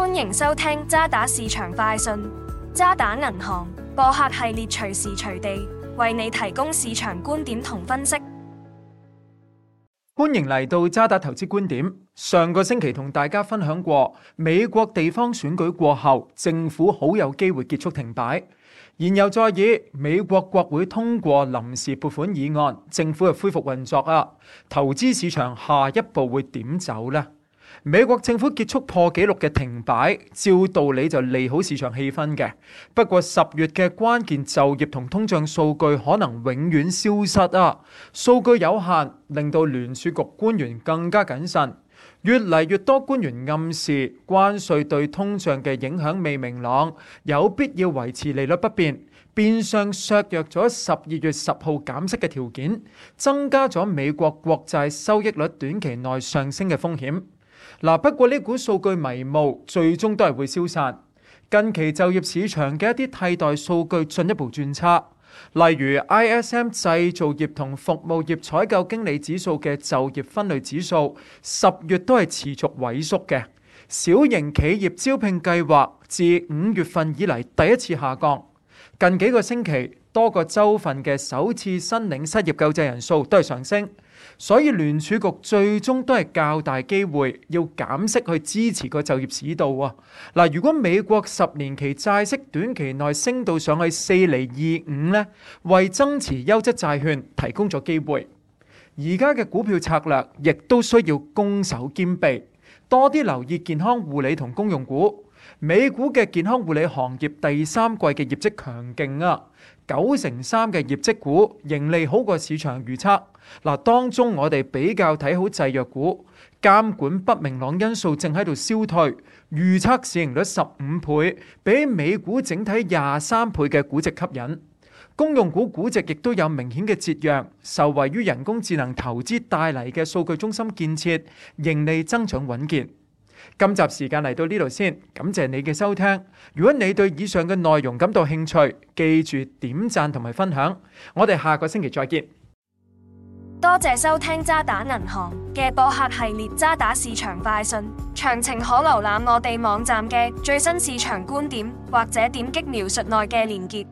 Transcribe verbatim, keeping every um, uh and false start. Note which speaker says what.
Speaker 1: 歡迎收聽渣打市場快訊。渣打銀行播客系列隨時隨地為你提供市場觀點同分析。
Speaker 2: 歡迎嚟到渣打投資觀點。上個星期同大家分享過，美國地方選舉過後，政府好有機會結束停擺。言猶在耳，美國國會通過臨時撥款議案，政府又恢復運作啊！投資市場下一步會點走呢？美國政府結束破紀錄嘅停擺，照道理就利好市場氣氛嘅。不過十月嘅關鍵就業同通脹數據可能永遠消失啊！數據有限，令到聯儲局官員更加謹慎。越嚟越多官員暗示關稅對通脹嘅影響未明朗，有必要維持利率不變，變相削弱咗十二月十號減息嘅條件，增加咗美國國債收益率短期內上升嘅風險。嗱，不過呢股數據迷霧，最終都係會消散。近期就業市場嘅一啲替代數據進一步轉差，例如 I S M 製造業同服務業採購經理指數嘅就業分類指數，十月都係持續萎縮嘅。小型企業招聘計劃自五月份以嚟第一次下降。近幾個星期，多個州份嘅首次申領失業救濟人數都係上升。所以聯儲局最終都係較大機會要減息去支持個就業市道啊！嗱，如果美國十年期債息短期內升到上去四厘二五呢，為增持優質債券提供咗機會。而家嘅股票策略亦都需要攻守兼備，多啲留意健康護理同公用股。美股嘅健康護理行業第三季嘅業績強勁啊，九成三嘅業績股盈利好過市場預測。嗱，當中我哋比較睇好製藥股，監管不明朗因素正喺度消退，預測市盈率十五倍，比美股整體廿三倍嘅估值吸引。公用股估值亦都有明顯嘅折讓，受惠於人工智能投資帶嚟嘅數據中心建設，盈利增長穩健。今集時間嚟到呢度先，感謝你嘅收聽。如果你對以上嘅內容感到興趣，記住點讚同埋分享。我哋下個星期再見。
Speaker 1: 多謝收聽渣打銀行嘅播客系列渣打市場快訊，詳情可瀏覽我哋網站嘅最新市場觀點，或者點擊描述內嘅連結。